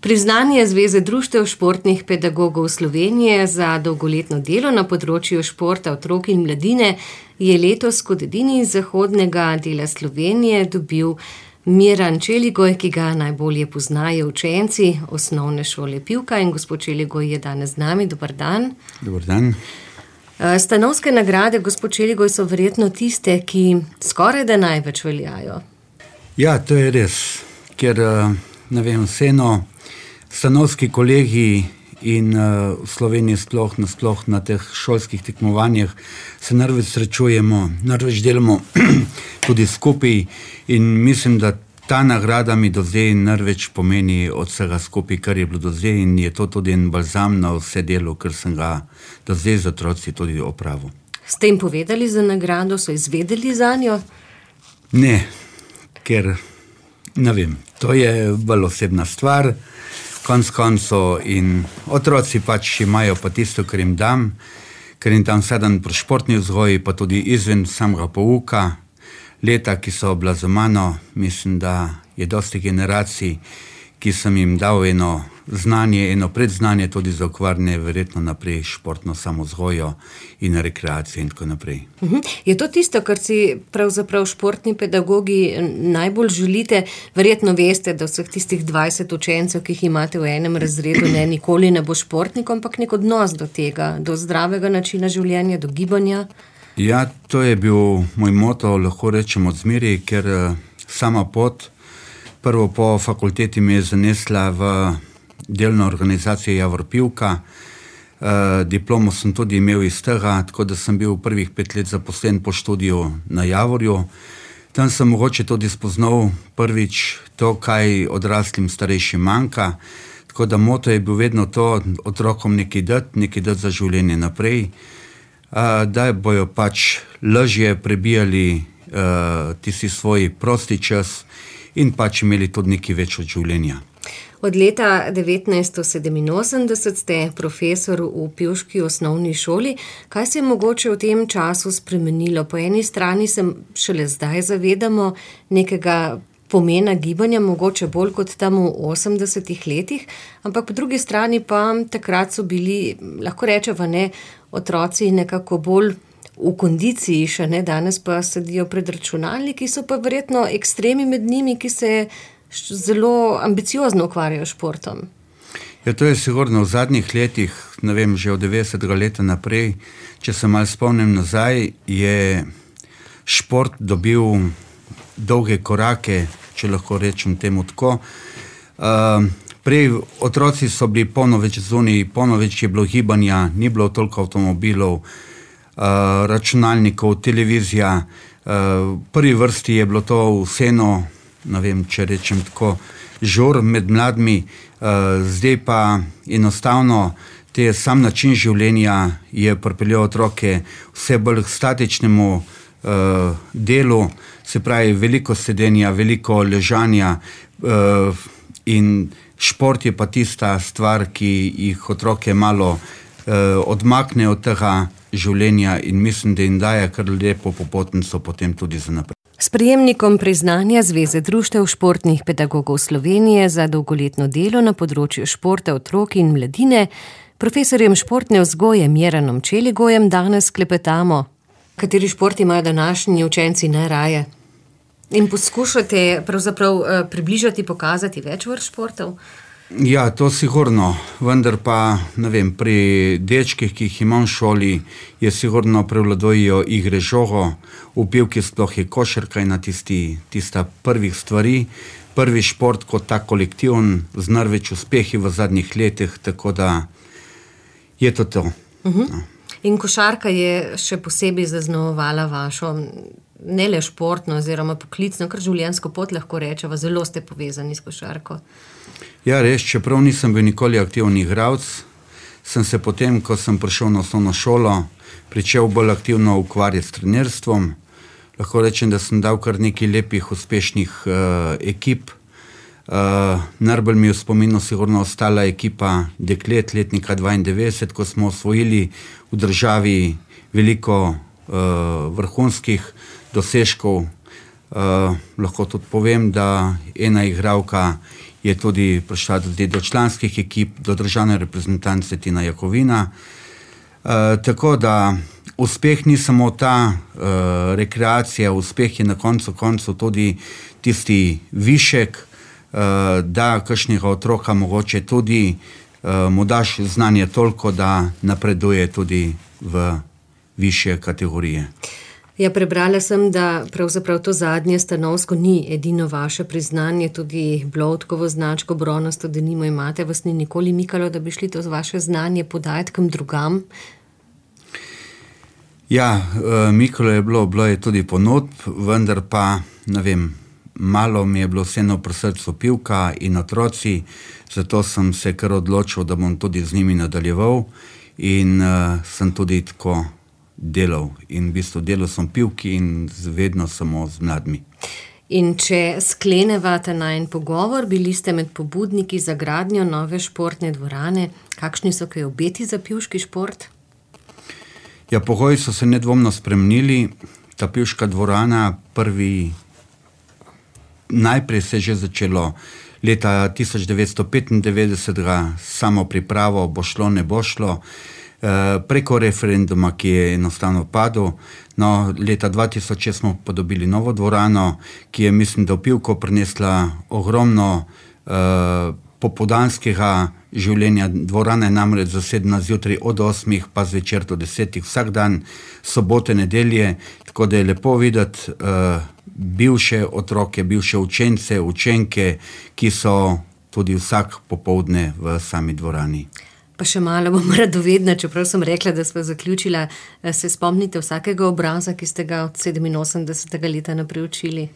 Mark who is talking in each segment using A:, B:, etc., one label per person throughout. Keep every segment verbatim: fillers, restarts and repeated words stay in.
A: Priznanje Zveze društev športnih pedagogov Slovenije za dolgoletno delo na področju športa otrok in mladine je letos kot edini iz zahodnega dela Slovenije dobil Miran Čeligoj, ki ga najbolje poznajo učenci osnovne šole Pivka, in gospod Čeligoj je danes z nami. Dober dan.
B: Dober dan.
A: Stanovske nagrade, gospod Čeligoj, so verjetno tiste, ki skoraj da največ veljajo.
B: Ja, to je res, ker, ne vem, vseeno stanovski kolegi in uh, v Sloveniji sploh nasploh na teh šolskih tekmovanjih se največ srečujemo, največ delamo tudi skupaj in mislim, da ta nagrada mi do zdaj največ pomeni od vsega skupaj, kar je bilo do zdaj, in je to tudi en balzam na vse delo, ker sem ga do zdaj z otroci tudi opravil.
A: Ste jim povedali za nagrado, so izvedeli za njo?
B: Ne, ker ne vem, to je bolj osebna stvar, konc konco, in otroci pač imajo pa tisto, kar jim dam, ker jim tam sedem pri športni vzgoji, pa tudi izven samega pouka. Leta, ki so bila za mano, mislim, da je dosti generacij, ki sem jim dal eno znanje, eno predznanje tudi za ukvarjanje verjetno naprej športno samozgojo in rekreacijo in tako naprej.
A: Uh-huh. Je to tisto, kar si pravzaprav športni pedagogi najbolj želite? Verjetno veste, da vseh tistih dvajset učencev, ki jih imate v enem razredu, ne nikoli ne bo športnik, ampak nek odnos do tega, do zdravega načina življenja, do gibanja.
B: Ja, to je bil moj moto, lahko rečem od zmeraj, ker sama pot, prvo po fakulteti me je zanesla v delno organizacijo Javor Pivka. E, diplomo sem tudi imel iz tega, tako da sem bil prvih pet let zaposlen po študiju na Javorju. Tam sem mogoče tudi spoznal prvič to, kaj odraslim starejšim manjka. Tako da moto je bil vedno to, otrokom nekaj dati, nekaj dati za življenje naprej, e, da bojo pač lažje prebijali e, tisti svoj prosti čas in pač imeli tudi nekaj več od življenja.
A: Od leta devetnajststo sedeminosemdeset ste profesor v pivški osnovni šoli. Kaj se je mogoče v tem času spremenilo? Po eni strani se šele zdaj zavedamo nekega pomena gibanja, mogoče bolj kot tam v osemdesetih letih, ampak po drugi strani pa takrat so bili, lahko rečemo, ne, otroci nekako bolj v kondiciji še, ne, danes pa sedijo pred računalniki, so pa verjetno ekstremi med njimi, ki se zelo ambiciozno ukvarjajo športom.
B: Ja, to je sigurno v zadnjih letih, ne vem, že od devetdesetega leta naprej, če se malo spomnim nazaj, je šport dobil dolge korake, če lahko rečem temu tako. Uh, prej otroci so bili polno več zunaj, polno več je bilo gibanja, ni bilo toliko avtomobilov, uh, računalnikov, televizija. Uh, v prvi vrsti je bilo to vseeno, ne vem, če rečem tako, žur med mladimi, uh, zdaj pa enostavno te sam način življenja je pripeljal otroke vse bolj k statičnemu uh, delu, se pravi veliko sedenja, veliko ležanja uh, in šport je pa tista stvar, ki jih otroke malo uh, odmakne od tega življenja in mislim, da jim daje kar lepo popotnico potem tudi za naprej.
A: S prejemnikom priznanja Zveze društev športnih pedagogov Slovenije za dolgoletno delo na področju športa otrok in mladine, profesorjem športne vzgoje Miranom Čeligojem, danes klepetamo. Kateri šport imajo današnji učenci najraje? In poskušate pravzaprav približati, pokazati več vrst športov?
B: Ja, to sigurno, vendar pa, ne vem, pri dečkih, ki jih imam v šoli, je sigurno prevladujejo igre žogo, v Pivki sploh je košarka ena tisti, tista prvih stvari, prvi šport kot tak kolektivn, z največ uspehi v zadnjih letih, tako da je to to.
A: Uh-huh. No. In košarka je še posebej zaznamovala vašo, ne le športno oziroma poklicno, kar življenjsko pot lahko rečeva, zelo ste povezani s košarko.
B: Ja, res, čeprav nisem bil nikoli aktivni igralec, sem se potem, ko sem prišel na osnovno šolo, pričel bolj aktivno ukvarjati s trenerstvom. Lahko rečem, da sem dal kar nekaj lepih, uspešnih uh, ekip. Uh, najbolj mi je v spominu sigurno ostala ekipa deklet letnika dvaindevetdeset, ko smo osvojili v državi veliko uh, vrhunskih dosežkov. Uh, lahko tudi povem, da ena igralka je tudi prišla tudi do članskih ekip, do državne reprezentance Tina Jakovina. Uh, tako da uspeh ni samo ta uh, rekreacija, uspeh je na koncu koncu tudi tisti višek, uh, da kakšnega otroka mogoče tudi uh, mu daš znanje toliko, da napreduje tudi v višje kategorije.
A: Ja, prebrala sem, da pravzaprav to zadnje stanovsko ni edino vaše priznanje, tudi Bloudkovo značko bronasto denimo imate, vas ni nikoli mikalo, da bi šli to vaše znanje podajati kam drugam?
B: Ja, mikalo je bilo, bilo je tudi ponudb, vendar pa, ne vem, malo mi je bilo vseeno pri srcu pivka in otroci, zato sem se kar odločil, da bom tudi z njimi nadaljeval in uh, sem tudi tako delal. In v bistvu delal sem pivki in vedno samo z mladimi.
A: In če skleneva ta najin pogovor, bili ste med pobudniki za gradnjo nove športne dvorane. Kakšni so kaj obeti za pivški šport?
B: Ja, pogoji so se nedvomno spremenili. Ta pivška dvorana prvi, najprej se je že začelo leta tisoč devetsto petindevetdeset, samo pripravo, bo šlo, ne bo šlo, e, preko referenduma, ki je enostavno padel. No, leta dva tisoč šest smo podobili novo dvorano, ki je, mislim, da v pivko prinesla ogromno e, popoldanskega življenja. Dvorana je namreč zasedena zjutraj od osmih pa zvečer do desetih, vsak dan, sobote, nedelje, tako da je lepo videti uh, bivše otroke, bivše učence, učenke, ki so tudi vsak popoldne v sami dvorani.
A: Pa še malo bom radovedna, čeprav sem rekla, da smo zaključila. Se spomnite vsakega obraza, ki ste ga od sedeminosemdesetega leta naprej učili?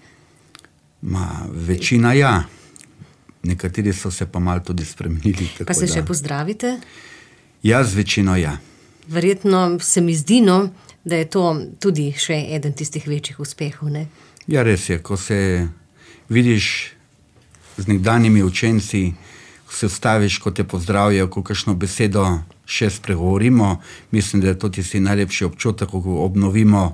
B: Ma, večina ja. Nekateri so se pa malo tudi spremenili.
A: Pa se
B: da.
A: še pozdravite?
B: Ja, z večino ja.
A: Verjetno se mi zdi, no, da je to tudi še eden tistih večjih uspehov, ne?
B: Ja, res je, ko se vidiš z nekdanjimi učenci, ko se vstaviš, ko te pozdravijo, ko kakšno besedo še spregovorimo, mislim, da je to tisti najlepši občutek, ko obnovimo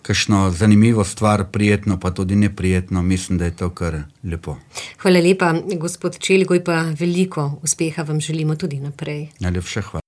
B: kakšno zanimivo stvar, prijetno pa tudi neprijetno, mislim, da je to kar lepo.
A: Hvala lepa, gospod Čeligoj, pa veliko uspeha vam želimo tudi naprej.
B: Najlepša hvala.